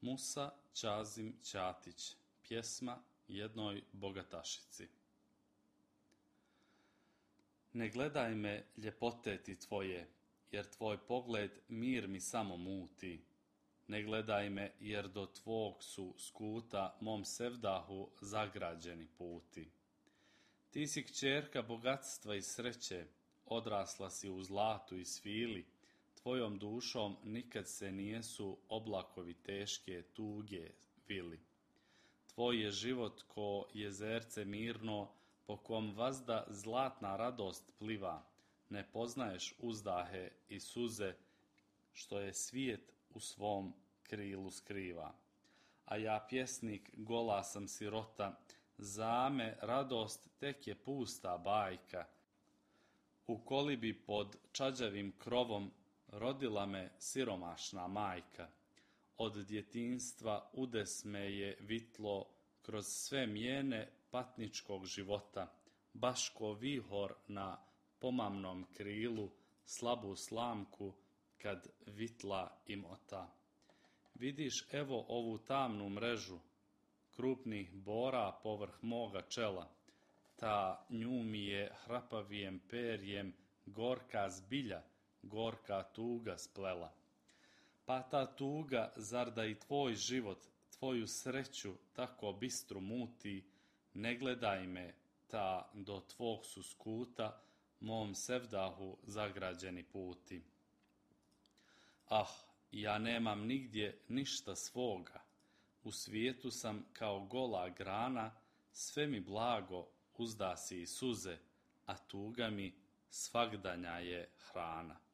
Musa Čazim Ćatić, pjesma jednoj bogatašici. Ne gledaj me, ljepote ti tvoje, jer tvoj pogled mir mi samo muti. Ne gledaj me, jer do tvog su skuta mom sevdahu zagrađeni puti. Ti si kćerka bogatstva i sreće, odrasla si u zlatu i svili, tvojom dušom nikad se nijesu oblakovi teške tuge vili. Tvoj je život ko jezerce mirno, po kom vazda zlatna radost pliva, ne poznaješ uzdahe i suze, što je svijet u svom krilu skriva. A ja pjesnik gola sam sirota, za me radost tek je pusta bajka. U kolibi pod čađavim krovom rodila me siromašna majka. Od djetinjstva udes me je vitlo kroz sve mjene patničkog života, baš ko vihor na pomamnom krilu, slabu slamku kad vitla imota. Vidiš evo ovu tamnu mrežu krupnih bora povrh moga čela, ta nju mi je hrapavijem perjem gorka zbilja, gorka tuga splela. Pa ta tuga, zar da i tvoj život, tvoju sreću tako bistru muti, ne gledaj me, ta do tvog su skuta mom sevdahu zagrađeni puti. Ah, ja nemam nigdje ništa svoga, u svijetu sam kao gola grana, sve mi blago uzdasi i suze, a tuga mi svagdanja je hrana.